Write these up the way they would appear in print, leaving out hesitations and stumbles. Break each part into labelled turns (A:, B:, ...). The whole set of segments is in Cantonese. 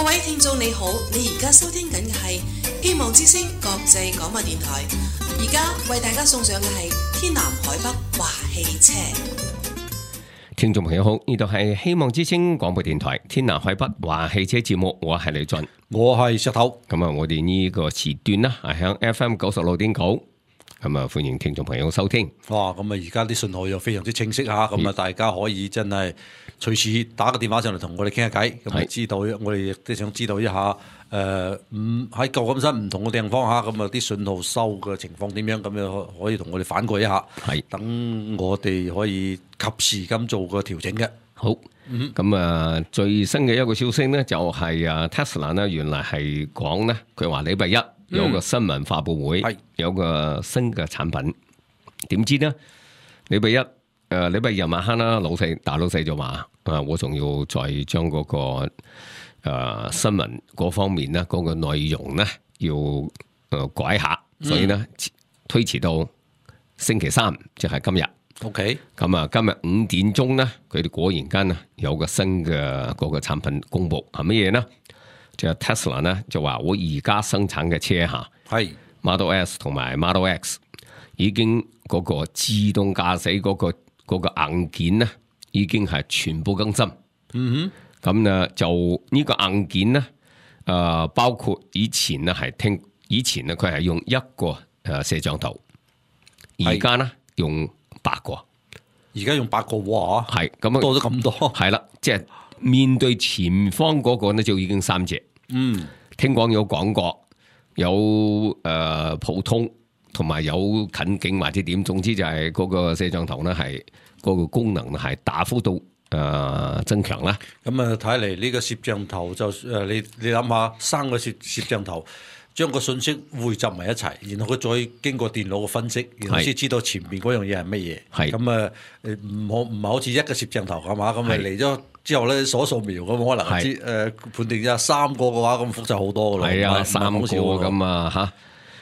A: 各位聽眾你好，你而家收聽緊嘅係希望之聲國際廣播電台，而家為大家送上嘅係天南海北話汽車。
B: 聽眾朋友好，呢度係希望之聲廣播電台天南海北話汽車節目，我係李俊，
C: 我係石頭。
B: 咁啊，我哋呢個時段啦，係響 FM 96.9，咁啊，歡迎聽眾朋友收聽。
C: 哇，咁啊，而家啲信號又非常之清晰吓，咁啊，大家可以真係隨時打個電話上嚟同我哋傾下偈，咁啊，知道我哋亦都想知道一下，喺舊金山唔同嘅地方吓，咁啊，啲信號收嘅情況點樣，咁樣可以同我哋反饋一下，
B: 係
C: 等我哋可以及時咁做個調整嘅。
B: 好，咁啊，最新嘅一個消息呢，就係Tesla 呢，原來係講呢，佢話禮拜一有個新聞發佈會，有個新嘅產品，點知呢？禮拜一禮拜日晚黑啦，大老細就話我仲要再將嗰個新聞嗰方面呢，嗰個內容呢要改下，所以呢推遲到星期三，即係今日。
C: OK，
B: 咁啊，今日5點鐘呢，佢哋果然間啊有個新嘅嗰個產品公布，係乜嘢呢？就係 Tesla 呢就話我而家生產嘅車下係 Model S 同埋 Model X 已經嗰個自動駕駛嗰個硬件呢已經係全部更新。咁呢就呢個硬件呢包括以前呢以前呢佢係用一個攝像頭，而家呢用8個，
C: 而家用8個喎，
B: 係咁啊，
C: 多咗咁多，
B: 係啦，即係面對前方嗰個呢就已經3隻。聽講有廣角，有普通，同埋有近景或者點，總之就係嗰個攝像頭呢係嗰個功能係大幅度增強啦。
C: 咁啊，睇嚟呢個攝像頭就你諗下，3個攝像頭將個信息匯集埋一齊，然後佢再經過電腦嘅分析，然後先知道前面嗰樣嘢係乜嘢。係咁啊，唔係好似一個攝像頭係嘛？咁啊嚟咗之後咧，掃描咁可能知判定咗3個嘅話，咁複雜好多噶咯。係啊，3個
B: 咁啊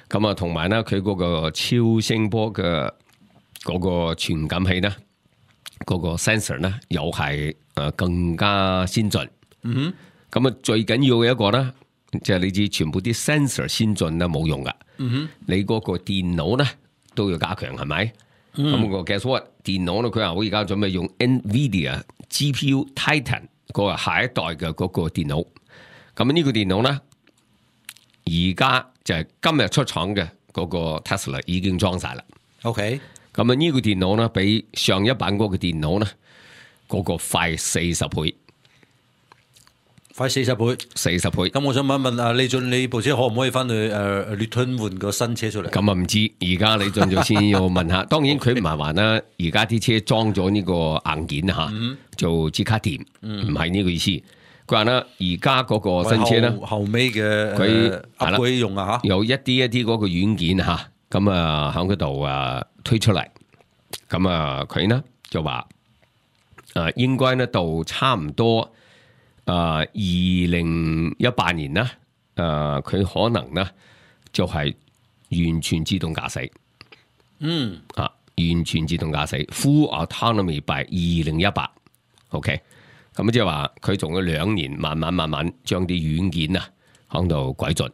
B: 嚇，咁啊同埋咧，佢嗰個超聲波嘅嗰個傳感器咧，嗰個 sensor 咧又係更加先進。咁啊最緊要嘅一個咧，即係你知全部啲 sensor 先進咧冇用噶。你嗰個電腦咧都要加強，係咪？咁個 guess what？電腦咧佢話我而家準備用 NVIDIA GPU Titan 嗰個下一代嘅嗰個電腦。咁呢個電腦咧，而家就係今日出廠嘅嗰個 Tesla 已經裝晒啦。OK， 咁啊呢個電腦咧比上一版嗰個電腦咧嗰個快40倍。
C: 快40倍，40倍。咁我想問一問李俊，你部車可唔可以翻去劣吞換個新車出嚟？
B: 咁啊唔知，而家李俊就先要問下。當然佢唔係話啦，而家啲車裝咗呢個硬件吓，就即刻掂，唔係呢個意思。佢話咧，而家嗰個新車咧，
C: 後尾嘅佢upgrade用啊吓，
B: 有一啲嗰個軟件吓，咁啊喺嗰度推出嚟。咁啊佢呢就話應該呢到差唔多。2018年咧，佢可能咧就係完全自動駕駛，完全自動駕駛 Full Autonomy by 2018，OK， 咁即係話佢仲有2年，慢慢將啲軟件啊喺度改進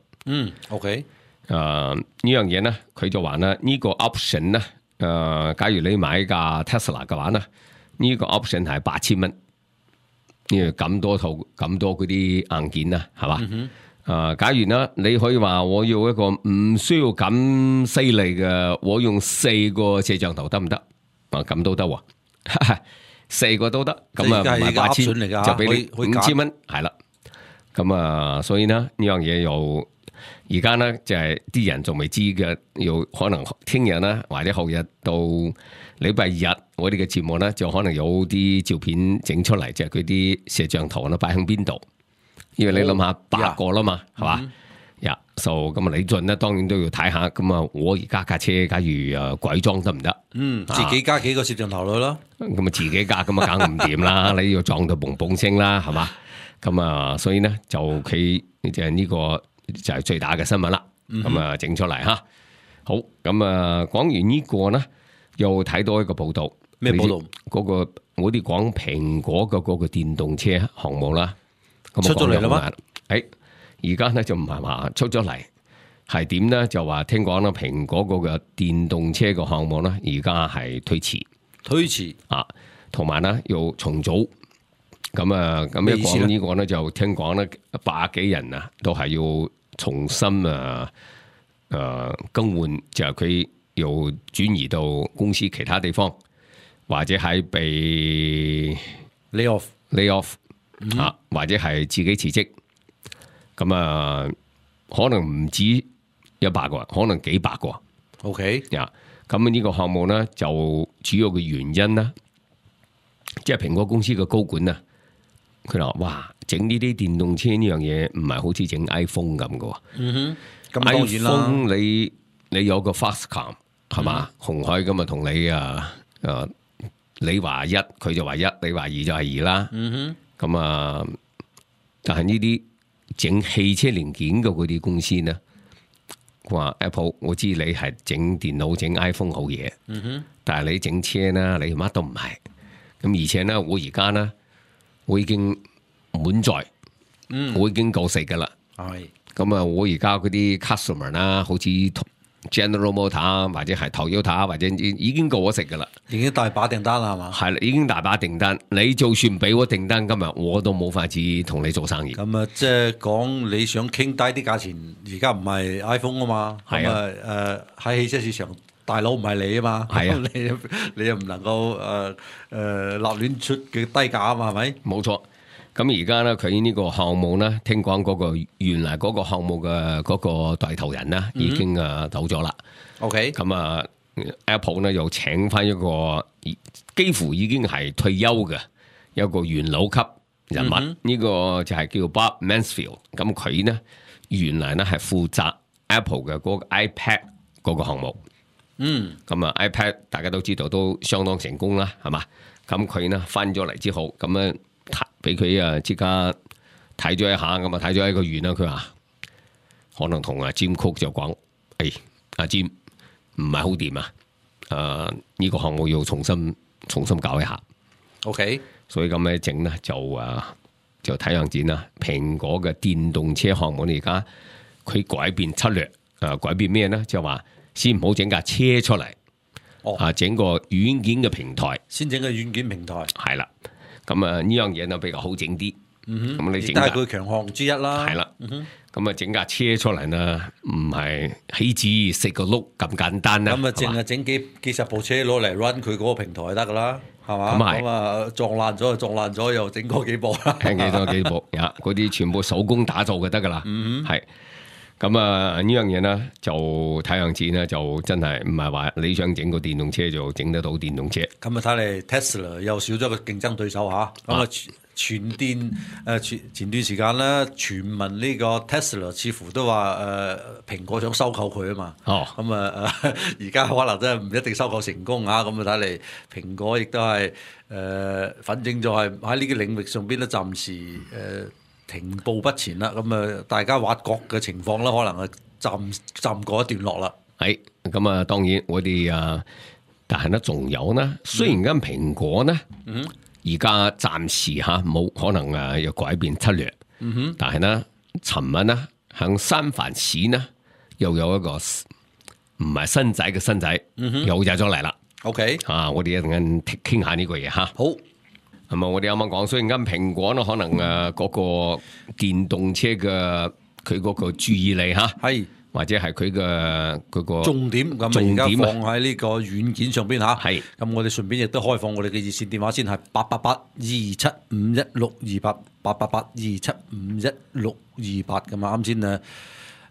C: ，OK，
B: 呢樣嘢咧，佢就話咧呢個 option 咧，假如你買架 Tesla 嘅話咧，呢個 option 係8000蚊。咁多套咁多嗰啲硬件啦，係嘛？假如呢，你可以話我要一個唔需要咁犀利嘅，我用4個攝像頭得唔得？咁都得喎，4個都得。咁啊唔係8000，就俾你5000蚊，係啦。咁啊，所以呢樣嘢又而家呢就係啲人仲未知嘅，又可能聽日呢或者後日到禮拜日，我哋嘅節目咧就可能有啲照片整出嚟，即係佢啲攝像頭咧擺喺邊度？因為你諗下8個啦嘛，係嘛？咁啊李俊咧當然都要睇下。咁啊，我而家架車假如改裝得唔得？
C: 自己加幾個攝像頭落咯。
B: 咁啊自己加咁啊梗唔掂啦，你要撞到嘣嘣聲啦，係嘛？咁啊，所以咧就佢就係呢個就係最大嘅新聞啦。咁啊整出嚟吓，好咁啊講完呢個咧。又睇到一個報道，
C: 咩報道？
B: 嗰個我哋講蘋果嘅嗰個電動車項目啦，
C: 出咗嚟啦嘛？
B: 而家咧就唔係話出咗嚟，係點咧？就話聽講啦，蘋果嗰個電動車個項目咧，而家係推遲啊，同埋咧要重組。咁啊，咁一講呢個咧，就聽講咧100幾人啊，都係要重新更換，就係佢要轉移到公司其他地方，或者係被 lay off 啊，或者係自己辭職。咁啊，可能唔止100個，可能幾百個。
C: OK，
B: 咁呢個項目咧，就主要嘅原因啦，即係蘋果公司嘅高管啊，佢話：哇，整呢啲電動車呢樣嘢唔係好似整 iPhone 咁嘅。
C: 咁當然啦。
B: iPhone 你有個 Foxconn 係嘛？鴻海咁啊，同你你話1，佢就話1，你話2就係2啦。咁啊，但係呢啲整汽車零件嘅嗰啲公司呢，話 Apple， 我知你係整電腦整 iPhone 好嘢，但係你整車呢，你乜都唔係。咁而且呢，我而家呢，我已經滿載，我已經夠食噶啦。咁啊，我而家嗰啲 customer 啦，好似 General Motor 或者係 Toyota 或者已經夠我食噶啦，
C: 已經大把訂單啦，係嘛？
B: 係啦，已經大把訂單。你就算俾我訂單，今日我都冇法子同你做生意。
C: 咁啊，即係講你想傾低啲價錢，而家唔係 iPhone 啊嘛。係啊，喺汽車市場，大佬唔係你啊嘛。係啊，你又唔能夠立亂出嘅低價啊嘛，係咪？
B: 冇錯。咁而家咧，佢呢個項目咧，聽講嗰個原來嗰個項目嘅嗰個帶頭人咧，已經走咗啦。
C: OK，
B: 咁啊 ，Apple 咧又請翻一個幾乎已經係退休嘅一個元老級人物，呢個就係叫 Bob Mansfield。咁佢呢，原來咧係負責 Apple 嘅嗰個 iPad 嗰個項目。咁啊 iPad 大家都知道都相當成功啦，係嘛？咁佢呢翻咗嚟之後，咁咧。俾佢即刻睇咗一下，咁啊睇咗一個月啦。佢話可能同阿 Jim Cook 就講：阿 Jim 唔係好掂啊！呢個項目要重新搞一下。
C: OK，
B: 所以咁咧整咧就睇樣展啦。蘋果嘅電動車項目而家佢改變策略，改變咩咧？就話先唔好整架車出嚟，整個軟件嘅平台，
C: 先整個軟件平台，
B: 係啦。咁啊呢樣嘢就比較好整啲，咁你整，
C: 但係佢強項之一啦。
B: 係啦，咁啊整架車出嚟呢，唔係起子4個轆咁簡單啦。
C: 咁啊淨係整幾十部車攞嚟 run 佢嗰個平台就得噶啦，係嘛？咁啊撞爛咗就撞爛咗，又整多幾部啦。
B: 聽幾部嗰啲全部手工打造嘅得噶啦。係。咁啊呢樣嘢呢，就睇樣子呢，就真係唔係話你想整個電動車就整得到電動車。
C: 咁啊睇嚟 Tesla 又少咗個競爭對手嚇。咁啊前段時間咧，傳聞呢個 Tesla 似乎都話蘋果想收購佢啊嘛。咁啊而家可能真係唔一定收購成功嚇。咁啊睇嚟蘋果亦都係反正就係喺呢個領域上邊咧，暫時停步不前啦，咁啊，大家挖角嘅情況咧，可能係暫過一段落啦。
B: 係咁啊，當然我哋但係咧仲有呢，雖然間蘋果呢，而家暫時冇可能要改變策略，但係呢，尋日呢，響三藩市呢，又有一個唔係新仔嘅新仔，又入咗嚟啦。
C: OK，
B: 我哋一陣間傾下呢個嘢嚇。
C: 好。
B: 咁啊！我哋啱啱講，雖然間蘋果咧可能嗰個電動車嘅佢嗰個注意力係或者係佢嘅嗰個
C: 重點咁而家放喺呢個軟件上邊嚇。係咁，我哋順便亦都開放我哋嘅熱線電話先，係888-275-1628 888-275-1628咁啊！啱先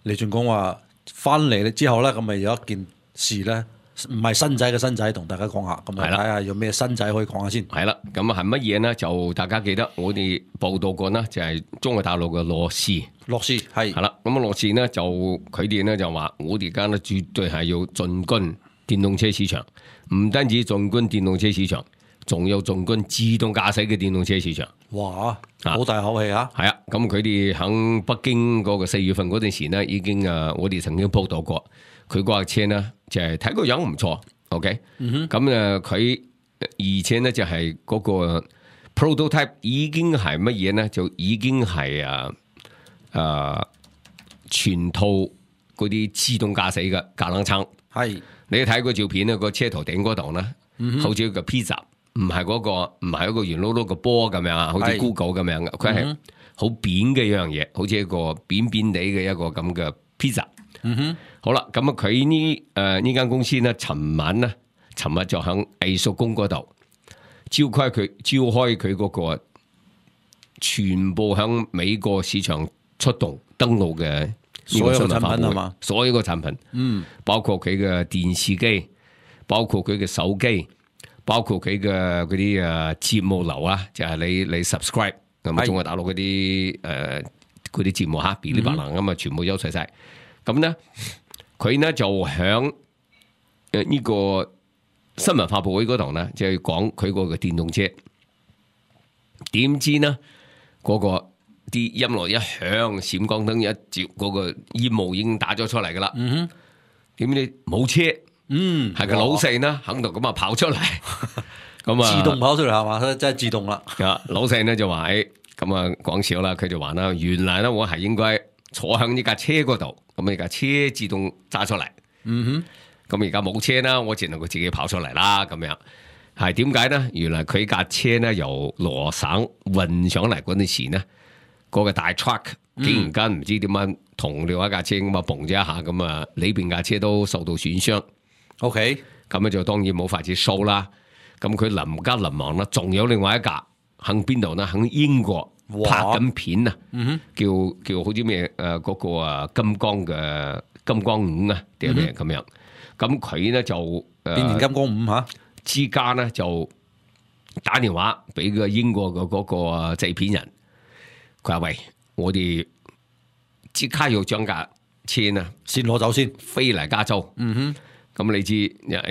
C: 李俊講話翻嚟之後咧，咁咪有一件事咧。唔係新仔嘅新仔，同大家講下，咁啊睇下有咩新仔可以講下先。係啦，
B: 咁啊係乜嘢呢？就大家記得我哋報道過呢，就係中國大陸嘅樂視係啦。咁啊樂視呢，就佢哋呢就話，我哋而家呢絕對係要進軍電動車市場，唔單止進軍電動車市場，仲有進軍自動駕駛嘅電動車市場。
C: 哇！好大口氣啊！
B: 係啊，咁佢哋喺北京嗰個4月份嗰陣時呢，已經我哋曾經報道過。佢嗰架車呢，就係睇個樣唔錯 ，OK，咁佢而且呢，就係嗰個 prototype 已經係乜嘢呢？就已經係全套嗰啲自動駕駛嘅架冷撐。
C: 係
B: 你睇個照片咧，個車頭頂嗰度咧，好似個 pizza， 唔係嗰個唔係一個圓碌碌個波咁樣啊，好似 Google 咁樣嘅，佢係好扁嘅一樣嘢，好似一個扁扁地嘅一個咁嘅 pizza。好啦，咁啊佢呢間公司咧，尋日就喺藝術宮嗰度召開佢嗰個全部喺美國市場出動登陸嘅
C: 所有產品係嘛？
B: 所有嘅產品，包括佢嘅電視機，包括佢嘅手機，包括佢嘅嗰啲節目流啊，就係你 subscribe 咁啊，中國大陸嗰啲節目嚇，噼哩啪啦咁啊，全部優齊晒。咁咧，佢咧就響呢個新聞發佈會嗰度咧，就係講佢嗰個電動車。點知呢嗰個啲音樂一響，閃光燈一照，嗰個煙霧已經打咗出嚟噶啦。點知冇車？係個老細呢喺度咁啊跑出嚟，咁啊
C: 自動跑出嚟係嘛？真係自動啦。
B: 老細呢就話咁啊講笑啦，佢就話啦，原來咧我係應該坐響呢架車嗰度，咁呢架車自動揸出嚟。咁而家冇車啦，我只能夠自己跑出嚟啦。咁樣係點解呢？原來佢架車呢由羅省運上嚟嗰陣時呢，嗰個大 truck 竟然間唔知點樣同另外一架車咁啊蹦咗一下，咁啊裏邊架車都受到損傷。
C: OK，
B: 咁就當然冇法子收啦。咁佢臨急臨忙啦，仲有另外一架喺邊度呢？喺英國拍緊片啊，叫好似咩嗰個金剛5啊定係咩咁樣。咁佢呢就
C: 變形金剛5嚇，
B: 之家呢就打電話俾個英國嘅嗰個製片人，佢話喂，我哋即刻要將架車呢
C: 先攞走先，
B: 飛嚟加州。咁你知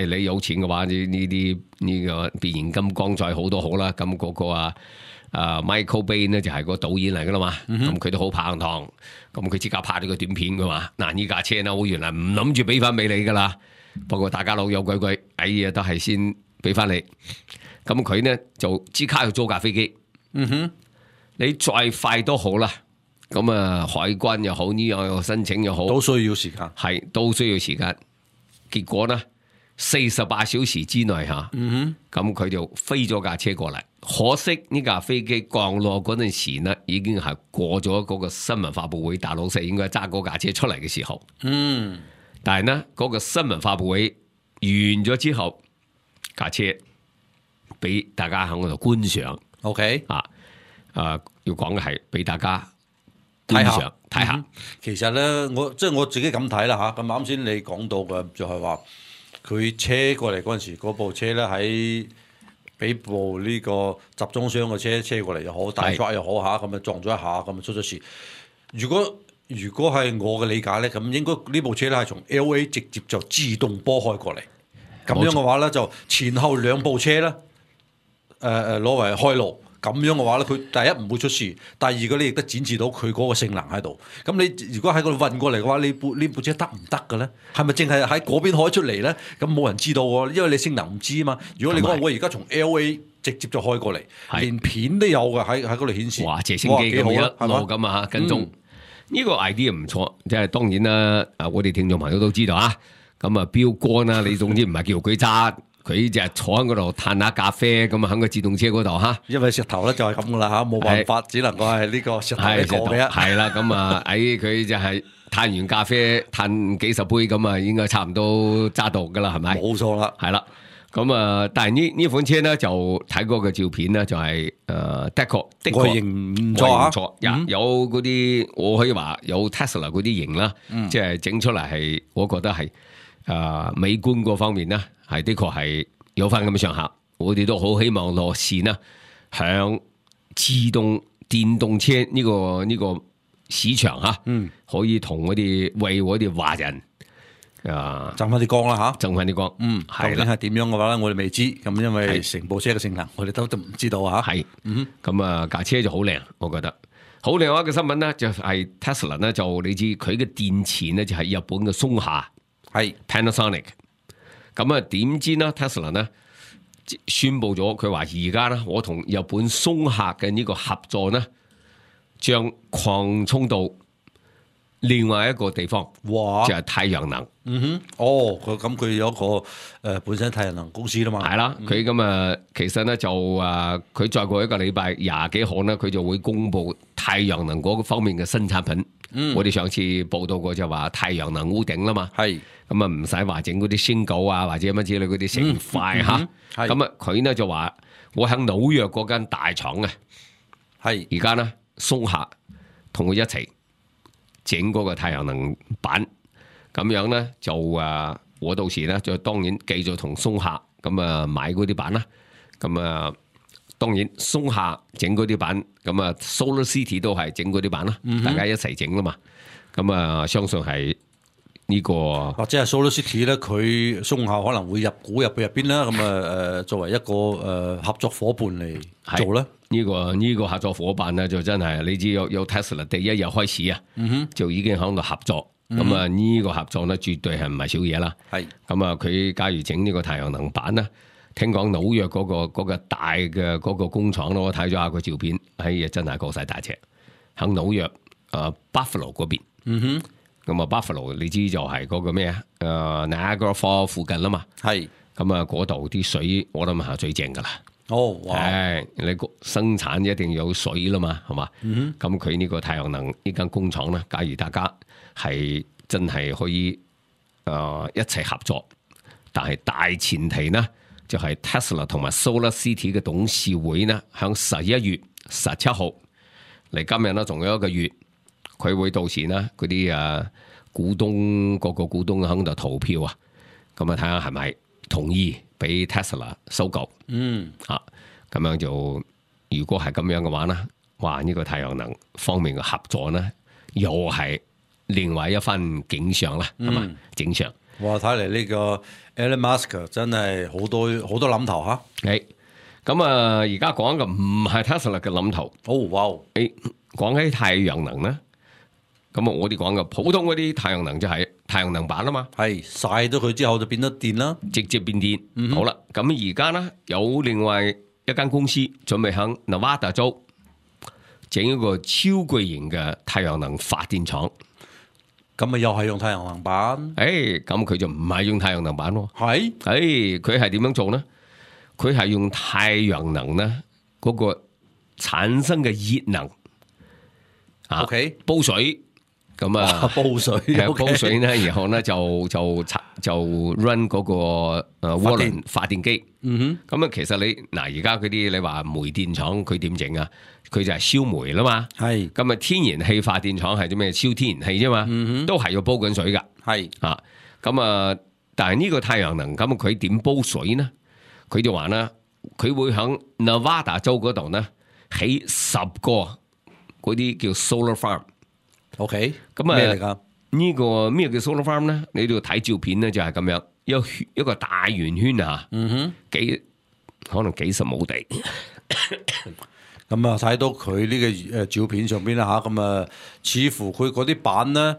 B: 你有錢嘅話，呢個變形金剛再好都好啦。咁嗰個Michael Bay 呢就係個導演嚟噶啦嘛。咁佢都好拍檔，咁佢即刻拍咗個短片噶嘛。嗱，呢架車呢，我原來唔諗住俾翻俾你噶啦，不過大家老友鬼鬼，哎呀都係先俾翻你。咁佢呢就即刻要租架飛機。你再快都好啦。咁海關又好，呢樣又申請又好，
C: 都需要時間，
B: 係都需要時間。結果呢，48小時之內嚇，咁佢就飛咗架車過嚟。可惜呢架飛機降落嗰陣時呢，已經係過咗嗰個新聞發佈會，大老細應該揸嗰架車出嚟嘅時候。但係呢，嗰個新聞發佈會完咗之後，架車俾大家喺嗰度觀賞。
C: OK，
B: 要講嘅係俾大家睇下。
C: 其實咧，我自己咁睇啦嚇。咁啱先你講到嘅就係話，佢車過嚟嗰陣時，嗰部車咧喺俾部呢個集裝箱嘅車過嚟又好，大 truck 又好嚇，咁啊撞咗一下，咁啊出咗事。如果係我嘅理解咧，咁應該呢部車咧係從 LA 直接就自動波開過嚟。咁樣嘅話咧，就前後兩部車咧，攞為開路。咁樣嘅話咧，佢第一唔會出事，第二個你亦都展示到佢嗰個性能喺度。咁你如果喺嗰度運過嚟嘅話，呢部車得唔得嘅咧？係咪淨係喺嗰邊開出嚟咧？咁冇人知道喎，因為你性能唔知啊嘛。如果你講我而家從 LA 直接就開過嚟，連片都有嘅喺嗰度顯示。
B: 哇！直升機咁一路咁啊跟蹤。呢個 idea 唔錯，即係當然啦。我哋聽眾朋友都知道啊。咁啊，標杆啦，你總之唔係叫佢揸。佢就坐喺嗰度嘆下咖啡，咁啊喺個自動車嗰度嚇。因為
C: 石頭咧就係咁噶啦嚇，冇辦法，只能夠係呢個石頭一個嘅。
B: 係啦，咁啊佢就係嘆完咖啡，嘆幾十杯咁啊，應該差唔多揸到噶啦，係咪？
C: 冇錯啦，
B: 係啦。咁啊，但係呢款車咧就睇過嘅照片咧就係的確
C: 外形唔錯，
B: 有嗰啲我可以話有 Tesla 嗰啲型啦，即係整出嚟係我覺得係美觀嗰方面咧。係的確係有翻咁嘅上下，我哋都好希望樂視呢響自動電動車呢個市場吓，可以同我哋為我哋華人
C: 爭翻啲光啦吓，
B: 爭翻啲光，
C: 究竟係點樣嘅話咧，我哋未知，咁因為成部車嘅性能，我哋都唔知道吓。
B: 係，咁架車就好靚，我覺得好靚。一個新聞咧就係 Tesla 咧，就你知佢嘅電池咧就係日本嘅松下，係 Panasonic。咁啊，點知呢 Tesla 呢宣布咗，佢話而家呢，我同日本松下嘅呢個合作呢，將擴充到另外一個地方，
C: 哇，
B: 就係太陽能。
C: 佢有一個本身太陽能公司啦嘛。
B: 係啦，佢咁啊，其實咧就佢再過一個禮拜20幾號咧，佢就會公布太陽能嗰個方面嘅新產品。我哋上次報道過就話太陽能屋頂啦嘛。
C: 係
B: 咁啊，唔使話整嗰啲升稿啊，或者乜之類嗰啲成塊嚇。咁啊，佢咧就話我喺紐約嗰間大廠啊，係而家咧松下同佢一齊整嗰個太陽能板。咁樣咧就我到時咧就當然繼續同松下咁買嗰啲板啦。咁當然松下整嗰啲板，咁Solar City 都係整嗰啲板啦。大家一齊整啦嘛。咁相信係呢個
C: 或者係 Solar City 咧，佢松下可能會入股入去入邊啦。咁作為一個合作伙伴嚟做咧。
B: 呢個合作伙伴咧就真係你知有 Tesla 第一日開始啊，就已經喺度合作。咁呢個合作咧絕對係唔係少嘢啦。係咁佢假如整呢個太陽能板咧，聽講紐約嗰個大嘅嗰個工廠咯，我睇咗下個照片，真係過晒大尺，喺紐約Buffalo 嗰邊。咁Buffalo 你知就係嗰個咩Niagara Falls 附近啦嘛。係咁嗰度啲水我諗係最正噶啦。你生產一定有水啦嘛，係嘛？咁佢呢個太陽能呢間工廠咧，假如大家係真係可以一齊合作，但係大前提呢，就係 Tesla 同埋 Solar City 嘅董事會呢，響11月17號嚟今日呢，仲有一個月，佢會到時呢嗰啲股東個股東喺度投票啊，咁睇下係咪同意俾 Tesla 收購。咁樣就如果係咁樣嘅話呢，哇！呢個太陽能方面嘅合作呢，又係另外一番景象啦，係嘛？景象。
C: 哇！睇嚟呢個 Elon Musk 真係好多諗頭嚇。
B: 咁而家講嘅唔係 Tesla 嘅諗頭。講起太陽能呢，咁我哋講嘅普通嗰啲太陽能就係太陽能板啊嘛。係
C: 曬咗佢之後就變咗電啦，
B: 直接變電。好啦，咁而家呢，有另外一間公司準備喺 Nevada 州整一個超巨型嘅太陽能發電廠。
C: 咁又係用太陽能板？
B: 咁佢就唔係用太陽能板喎。佢係點樣做呢？佢係用太陽能呢嗰個產生嘅熱能煲水。咁煲水呢，然後呢就 run 嗰個渦輪發電機。咁其實你而家嗰啲你話煤電廠佢點整啊？佢就係燒煤啦嘛。咁天然氣發電廠係啲咩？燒天然氣啫嘛。都係要煲緊水噶。但係呢個太陽能咁佢點煲水呢？佢就話呢，佢會喺 Nevada 州嗰度呢起10個嗰啲叫 solar farm。咁
C: 咩嚟噶？
B: 呢個咩叫 solar farm 咧？你都要睇照片咧，就係咁樣，一個大圓圈啊，可能幾十畝地。
C: 咁睇到佢呢個照片上邊啦吓，咁似乎佢嗰啲板咧，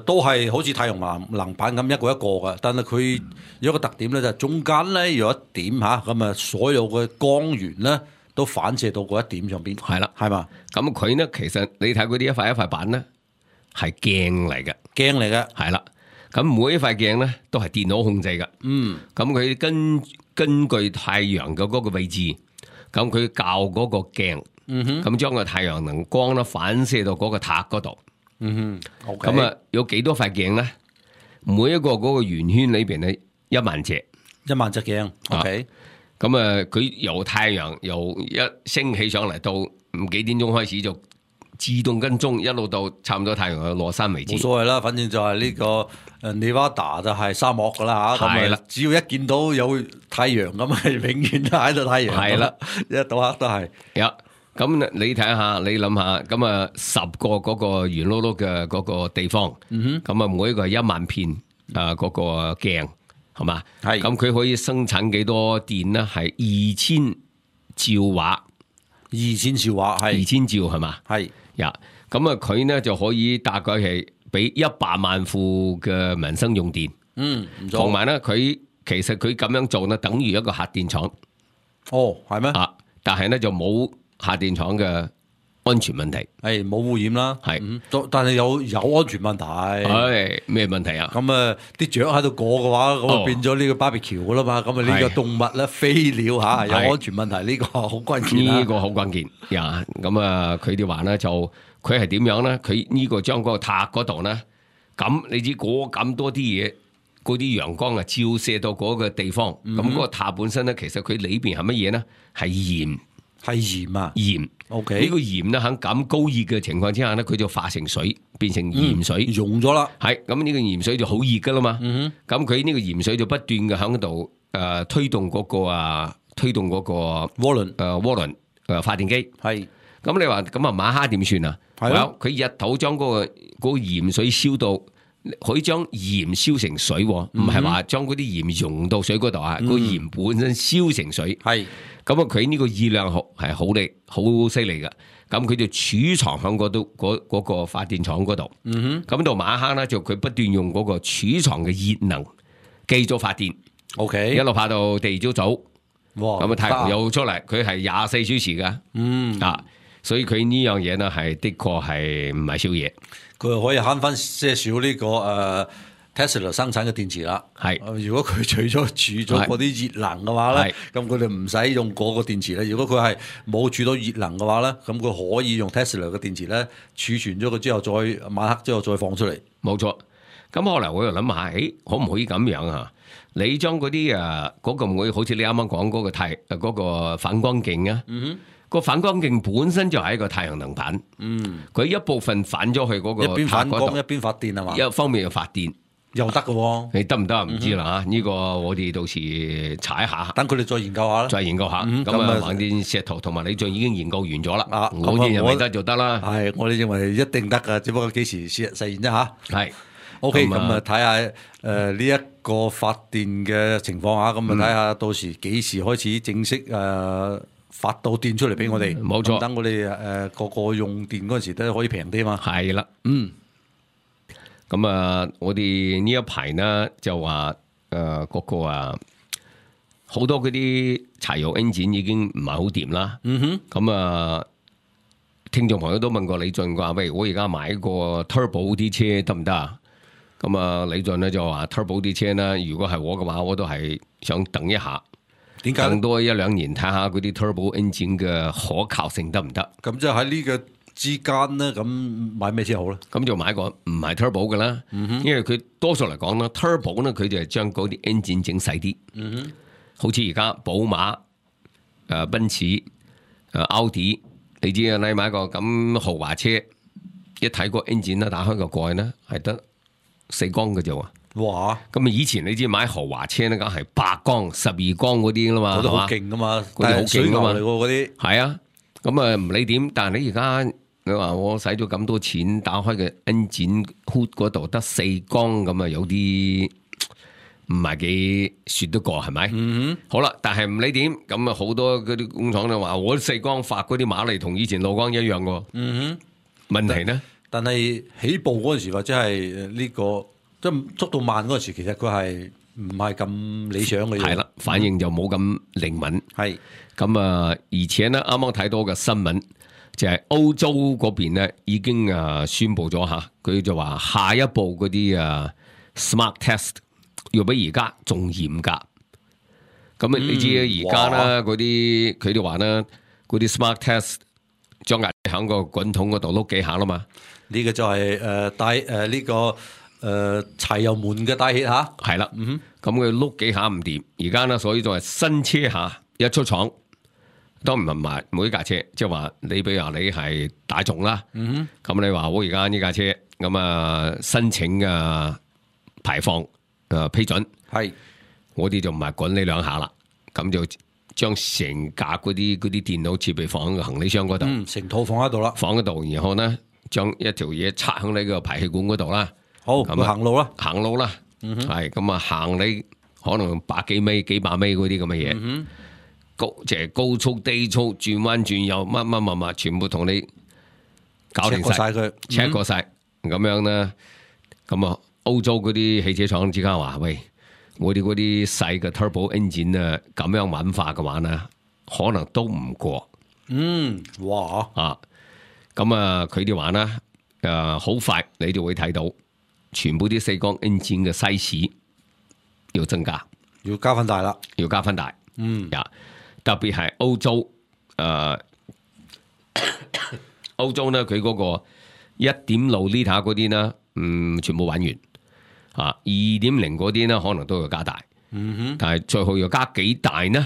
C: 都係好似太陽能板咁一個一個嘅，但係佢有一個特點咧，就係中間咧有一點吓，咁所有嘅光源咧都反射到嗰一點上邊。
B: 係啦，
C: 係嘛？
B: 咁佢呢，其實你睇嗰啲一塊一塊板咧。係鏡嚟嘅，係啦。咁每一塊鏡咧都係電腦控制嘅。咁佢根據太陽嘅嗰個位置，咁佢校嗰個鏡，咁將個太陽能光咧反射到嗰個塔嗰度。咁有幾多塊鏡咧？每一個嗰個圓圈裏邊咧1萬隻
C: 鏡。
B: 咁佢由太陽由一升起上嚟到幾點鐘開始就自動跟蹤一路到差唔多太陽嘅落山為止，
C: 冇所謂啦，反正就係呢個Nevada 就係沙漠噶啦嚇，咁只要一見到有太陽咁係永遠都喺度太陽，係啦，一到黑都係。
B: 咁你睇下，你諗下，咁10個嗰個圓碌碌嘅嗰個地方，咁每一個係1萬片嗰個鏡，係嘛？係。咁佢可以生產幾多電呢？係2000兆瓦，2000兆瓦係2000兆係嘛？係。咁佢呢就可以大概係俾100萬戶嘅民生用電。唔錯。同埋呢，佢其實佢咁樣做呢，等於一個核電廠。
C: 係咩？
B: 但係呢就冇核電廠嘅安全問題，
C: 係冇污染啦，
B: 係
C: 但係有安全問題。
B: 係咩問題啊？
C: 咁啲雀喺度過嘅話，咁變咗呢個barbecue噶啦嘛。咁呢個動物咧飛鳥嚇有安全問題，呢個好關鍵啦。
B: 呢個好關鍵呀！咁佢哋話咧就佢係點樣咧？佢呢個將嗰個塔嗰度咧，咁你知咁多啲嘢，嗰啲陽光啊照射到嗰個地方，咁嗰個塔本身咧，其實佢裏邊係乜嘢咧？係鹽。
C: 係鹽啊，
B: 鹽
C: ，OK，
B: 呢個鹽咧喺咁高熱嘅情況之下咧，佢就化成水，變成鹽水，
C: 溶咗啦。
B: 係咁呢個鹽水就好熱噶啦嘛。咁佢呢個鹽水就不斷嘅喺度推動嗰個渦輪發電機。
C: 係
B: 咁你話咁啊馬哈點算啊？係佢日頭將嗰個鹽水燒到，可以將鹽燒成水，唔係話將嗰啲鹽溶到水嗰度啊。個鹽本身燒成水。係。咁佢呢個熱量係好力、好犀利嘅，咁佢就儲藏喺嗰個發電廠嗰度。咁到馬克咧就佢不斷用嗰個儲藏嘅熱能繼續發電。
C: OK，
B: 一路拍到第二朝早，咁啊太陽又出嚟，佢係24小時㗎。所以佢呢樣嘢呢係的確係唔係少嘢。
C: 佢可以慳翻些少呢個Tesla 生產嘅電池啦，如果佢除咗儲咗嗰啲熱能嘅話咧，咁佢哋唔使用嗰個電池咧。如果佢係冇儲到熱能嘅話咧，咁佢可以用 Tesla 嘅電池咧儲存咗佢之後，晚黑之後再放出嚟。
B: 冇錯。咁後來我又諗下，可唔可以咁樣啊？你將嗰啲嗰個唔會好似你啱啱講嗰個反光鏡啊，個反光鏡本身就係一個太陽能板，佢一部分反咗去嗰個
C: 一邊反光一邊發電係嘛？
B: 一方面又發電。
C: 又得嘅喎，
B: 你得唔得啊？唔知啦嚇，呢個我哋到時查一下，
C: 等佢哋再研究下啦。
B: 再研究下，咁橫掂石頭同埋李俊已經研究完咗啦。我哋認為得就得啦。
C: 係，我哋認為一定得㗎，只不過幾時實現啫嚇。
B: 係
C: OK，咁睇下呢一個發電嘅情況下，咁睇下到時幾時開始正式發到電出嚟俾我哋。
B: 冇錯，
C: 等我哋個個用電嗰陣時都可以平啲嘛。
B: 係啦，咁我哋呢一排呢就話嗰個好多嗰啲柴油 engine 已經唔係好掂啦。咁聽眾朋友都問過李俊話，喂，我而家買個 turbo 啲車得唔得啊？咁李俊咧就話 turbo 啲車呢，如果係我嘅話，我都係想等一下。點解？等多1-2年睇下嗰啲 turbo engine 嘅可靠性得唔得？
C: 咁即係喺呢個之間咧，咁買咩車好咧？
B: 咁就買個唔係 turbo 嘅啦，因為佢多數嚟講咧 turbo 咧佢就係將嗰啲 engine 整細啲，好似而家寶馬、奔馳、奧迪，你知啊？你買個咁豪華車，一睇個 engine 咧，打開個蓋咧，係得4缸嘅啫喎。哇！咁以前你知買豪華車咧，梗係8缸、12缸嗰啲啦嘛，
C: 嗰啲好勁噶嘛，
B: 嗰啲好勁噶嘛，
C: 嚟嗰啲
B: 係啊。咁唔理點，但係你而家你話我使咗咁多錢打開嘅 engine hood 嗰度得4缸，咁有啲唔係幾說得過係咪？好啦，但係唔理點，咁好多嗰啲工廠就話我4缸發嗰啲馬力同以前6缸一樣喎。問題呢？
C: 但係起步嗰陣時或者係呢個即係速度慢嗰陣時，其實佢係唔係咁理想嘅嘢。係啦，
B: 反應就冇咁靈敏。係咁而且呢，啱啱睇到嘅新聞就係歐洲嗰邊呢已經宣布咗吓，佢就話下一步嗰啲smart test 要比而家仲嚴格。咁你知而家呢嗰啲佢哋話呢嗰啲 smart test 將壓喺個滾筒嗰度碌幾下啦嘛。
C: 呢個就係帶呢個柴油門嘅帶氣吓，
B: 係啦。咁佢碌幾下唔掂，而家呢所以就係新車下一出廠。都唔係買每架車，即係話你比如話你係大眾啦，咁你話我而家呢架車咁申請排放批准，係我哋就唔係滾你2下啦，咁就將成架嗰啲電腦設備放喺個行李箱嗰度，
C: 成套放喺度啦，
B: 放喺度，然後呢將一條嘢插喺你個排氣管嗰度啦，
C: 好咁行路啦，
B: 係咁行你可能100幾米、幾百米嗰啲咁嘅嘢。即係高速、低速、轉彎、轉右，乜，全部同你搞掂晒佢，check 過晒，咁樣呢？咁歐洲嗰啲汽車廠之間話：喂，我哋嗰啲細嘅 turbo engine 咁樣玩化嘅話呢，可能都唔過。哇！咁啊，佢哋話啦，好快你就會睇到全部啲四缸 engine 嘅 size 要增加，
C: 要加分大啦，
B: 要加分大。特別係歐洲，歐洲咧佢嗰個1.6 liter 嗰啲咧，全部玩完2.0嗰啲咧可能都要加大。但係最後要加幾大呢？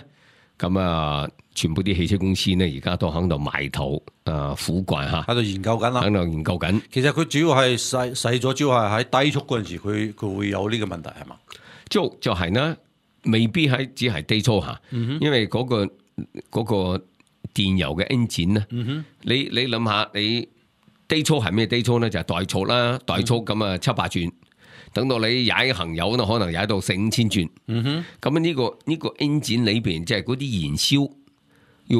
B: 咁啊，全部啲汽車公司呢，而家都喺度埋頭苦幹嚇，
C: 喺度研究緊啦，
B: 喺度研究緊。
C: 其實佢主要係細咗，主要係喺低速嗰陣時，佢會有呢個問題係嘛？
B: 就係呢，未必係只係低速嚇，因為嗰個電油嘅 engine 呢，你諗下，你低速係咩低速呢？就係怠速啦，怠速咁啊700轉。等到你踩行油呢，可能踩到4,000-5,000轉。咁呢個 engine 裏邊，即係嗰啲燃燒要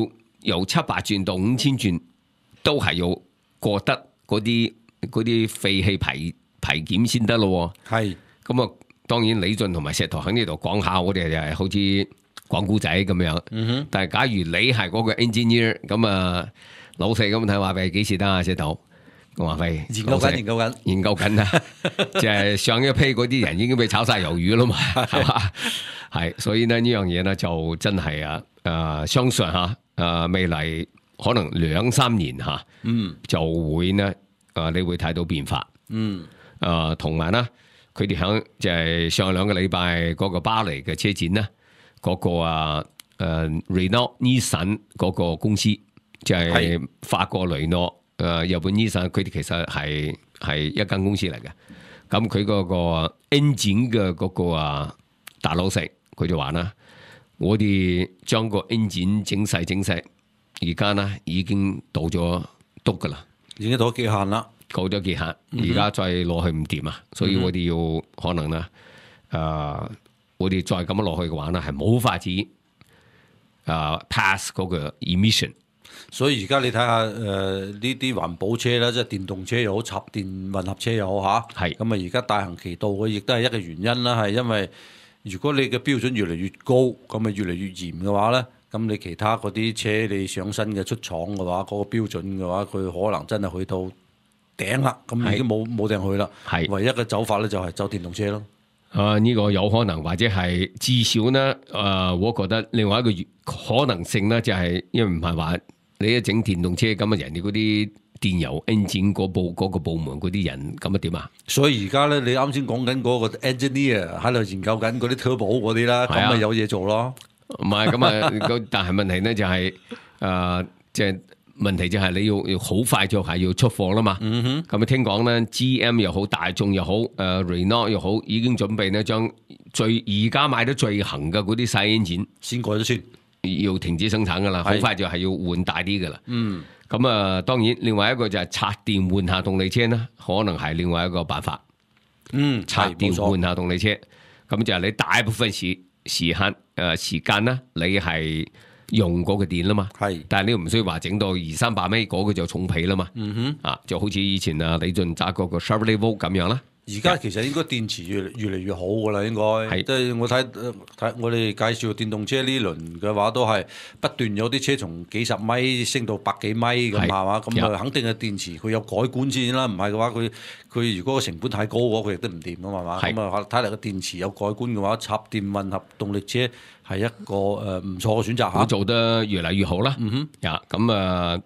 B: 由700轉到5,000轉，都係要過得嗰啲廢氣排檢先得咯。係咁啊，當然李俊同埋石頭喺呢度講下，我哋就係好似講古仔咁樣。但係假如你係嗰個 engineer， 咁啊老細咁睇話俾幾時得啊？石頭？我話喂，研究緊啊！即係上一批嗰啲人已經被炒晒魷魚啦嘛，係嘛？係，所以呢樣嘢呢就真係相信未來可能2-3年就會呢你會睇到變化。同埋呢，佢哋響就係上2個禮拜嗰個巴黎嘅車展呢，嗰個Renault Nissan 嗰個公司就係法國雷諾。日本醫生佢哋其實係一間公司嚟嘅，咁佢嗰個 engine 嘅嗰個大老細，佢就話啦，我哋將個 engine 整細，而家呢已經到咗篤噶啦，
C: 已經到咗極限啦，
B: 到咗極限，而家再落去唔掂啊，所以我哋要可能呢，我哋再咁樣落去嘅話呢，係冇法子pass 嗰個 emission。
C: 所以而家你睇下呢啲環保車啦，即係電動車又好，插電混合車又好嚇，係咁啊！而家大行其道嘅，亦都係一個原因啦。係因為如果你嘅標準越嚟越高，咁啊越嚟越嚴嘅話咧，咁你其他嗰啲車你上新嘅出廠嘅話，嗰個標準嘅話，佢可能真係去到頂啦，咁已經冇埞去啦。係唯一嘅走法咧，就係走電動車咯。
B: 呢個有可能，或者係至少呢，我覺得另外一個可能性咧，就係因為唔係話。你一整電動車咁啊，人哋嗰啲電油 engine 嗰個部門嗰啲人咁啊點啊？
C: 所以而家咧，你啱先講緊嗰個 engineer 喺度研究緊嗰啲 turbo 嗰啲啦，咁咪有嘢做咯。
B: 唔係咁啊，但係問題咧就係即係問題就係你要好快就係要出貨啦嘛。咁啊聽講咧 ，GM 又好，大眾又好，Renault 又好，已經準備咧將而家買得最行嘅嗰啲細 engine
C: 先改咗先。
B: 要停止生產噶啦，好快就係要換大啲噶啦。咁啊，當然另外一個就係插電換下動力車啦，可能係另外一個辦法。插電換下動力車，咁就係你大部分時間呢，你係用嗰個電啦嘛。係，但係你唔需要話整到200-300米嗰個就重皮啦嘛。就好似以前李俊揸嗰個 Chevrolet Volt 咁樣啦。
C: 而家其實應該電池越嚟越好噶啦，應該即係我睇我哋介紹電動車呢輪嘅話，都係不斷有啲車從幾十米升到百幾米咁係嘛，咁啊肯定係電池佢有改管先啦，唔係嘅話佢如果個成本太高嘅話，佢亦都唔掂噶嘛，咁啊睇嚟個電池有改管嘅話，插電混合動力車係一個唔錯嘅選擇嚇，
B: 會做得越嚟越好啦。咁啊。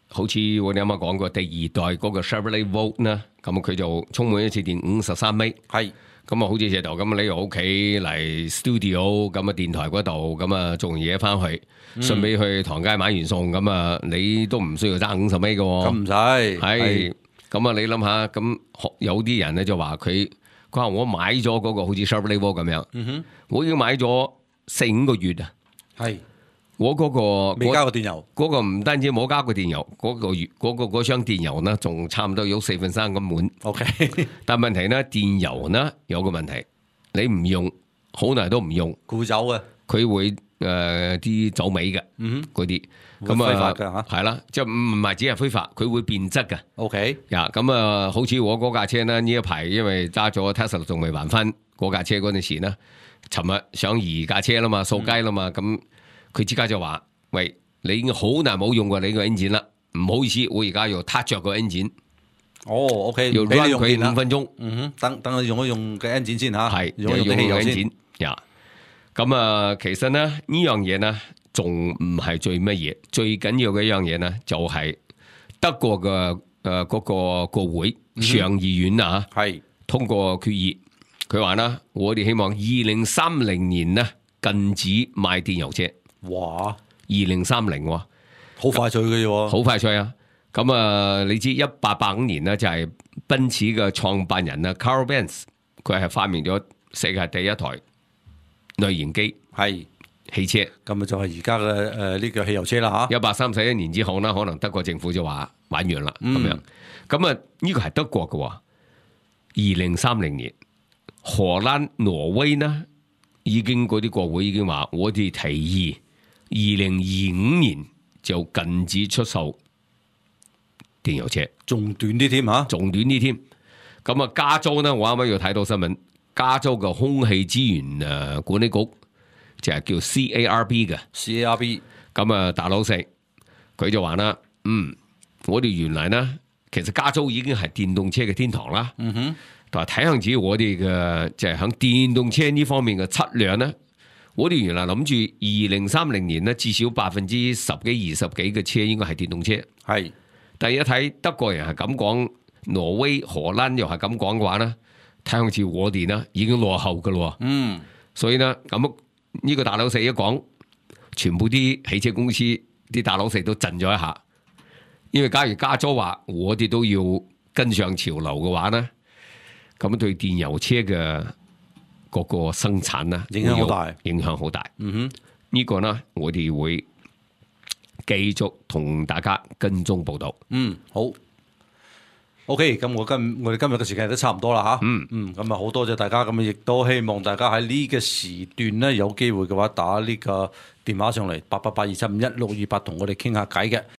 B: 好似我哋啱啱講過第2代嗰個 Chevrolet Volt 呢，咁佢就充滿一次電53米，係咁啊，好似石頭咁，你由屋企嚟 studio 咁啊，電台嗰度咁啊，做完嘢翻去，順便去唐街買完餸，咁啊，你都唔需要揸50米嘅，
C: 咁唔使
B: 係咁啊，你諗下，咁有啲人咧就話佢話我買咗嗰個好似 Chevrolet Volt 咁樣，我已經買咗4-5個月啊，係。我嗰個
C: 未加過電油，
B: 嗰個唔單止冇加過電油，嗰箱電油呢，仲差唔多有3/4咁滿。OK， 但問題呢，電油呢有個問題，你唔用，好耐都唔用，
C: 佢會走嘅，
B: 佢會啲走尾嘅，嗰啲咁啊，係啦，即係唔係只係揮發，佢會變質嘅。OK，咁啊，好似我嗰架車呢一排因為揸咗 Tesla 仲未還翻嗰架車嗰陣時呢，尋日想移架車啦嘛，掃街啦嘛，咁。佢之家就話：喂，你已經好耐冇用過你個 engine 啦，唔好意思，我而家要撻着個 engine。
C: 哦，OK，
B: 要 run 佢5分鐘。
C: 等佢用一用嘅 engine 先嚇，
B: 係
C: 用一用汽油先。
B: 咁啊，其實咧呢樣嘢呢，仲唔係最乜嘢，最緊要嘅一樣嘢呢，就係德國嘅嗰個國會上議院啊，
C: 係
B: 通過決議，佢話啦，我哋希望2030年呢禁止賣電油車。
C: 哇
B: ！2030
C: 好快脆嘅喎，
B: 好快脆啊！咁啊，你知1885年呢，就係奔馳嘅創辦人啊 Carl Benz， 佢係發明咗世界第一台內燃機
C: 係
B: 汽車。
C: 咁啊就係而家嘅呢個汽油車啦嚇。
B: 131年之後呢，可能德國政府就話玩完啦咁樣。咁啊，呢個係德國嘅喎。2030年，荷蘭、挪威呢已經嗰啲國會已經話，我哋提議2025年就禁止出售電油車，
C: 仲短啲添嚇，
B: 仲短啲添。咁啊，加州呢，我啱啱要睇到新聞，加州嘅空氣資源管理局就係叫 CARB 嘅
C: CARB。
B: 咁啊，大老細佢就話啦，我哋原來呢，其實加州已經係電動車嘅天堂啦。但係睇向子我哋嘅就係響電動車呢方面嘅質量呢，我哋原來諗住2030年呢，至少10%幾20幾嘅車應該係電動車。
C: 係，
B: 但係一睇德國人係咁講，挪威、荷蘭又係咁講嘅話呢，睇向似我哋呢已經落後㗎咯。所以呢，咁呢個大老細一講，全部啲汽車公司啲大老細都震咗一下，因為假如加州話我哋都要跟上潮流嘅話呢，咁對電油車嘅嗰個生產呢，
C: 影響好大，
B: 影響好大。呢個呢，我哋會繼續同大家跟蹤報道。
C: 好。OK，咁我哋今日嘅時間都差唔多啦吓。咁啊好多謝大家，咁亦都希望大家喺呢個時段咧有機會嘅話，打呢個電話上嚟8882751628同我哋傾下偈嘅。